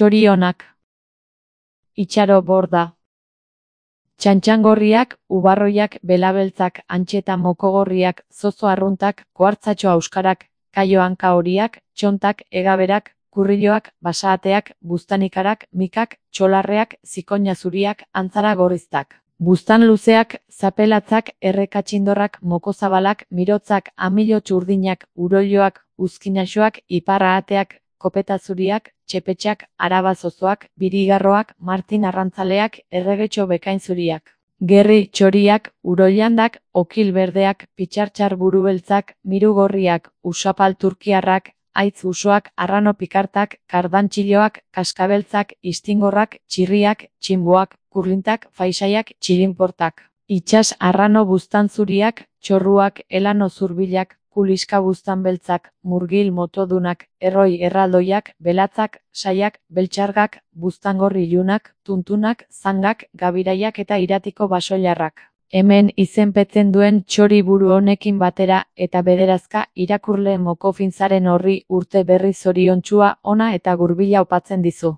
txori onak. Itxaro borda. Txantxangorriak, ubarroiak, belabeltzak, antxeta mokogorriak, zozo arruntak, koartzatxo auskarak, kaio hanka horiak, txontak, egaberak, kurriloak, basaateak, buztanikarak, mikak, txolarreak, zikoina zuriak, antzara gorriztak. Buztan luzeak, zapelatzak, errekatxindorrak, mokozabalak, mirotzak, amilo txurdinak, uroiloak, uzkinaxoak, iparraateak, kopeta zuriak, txepetxak, araba zozoak, birigarroak, martin arrantzaleak, erregetxo bekain zuriak. Gerri txoriak, uroilandak, okil berdeak, pitxartxar burubeltzak, mirugorriak, usapal turkiarrak, aitz usoak, arrano pikartak, kardantxiloak, kaskabeltzak, istingorrak, txirriak, txinboak, kurlintak, faisaiak, txilinportak. Itxas arrano buztan zuriak, txorruak, elano zurbilak, kuliska buztan beltzak, murgil motodunak, erroi erraldoiak, belatzak, saiak, beltxargak, buztangorri ilunak, tuntunak, zangak, gabiraiak eta iratiko basoilarrak. Hemen izenpetzen duen txori buru honekin batera eta bederazka irakurle mokofintzaren horri urte berri zoriontsua ona eta gurbila opatzen dizu.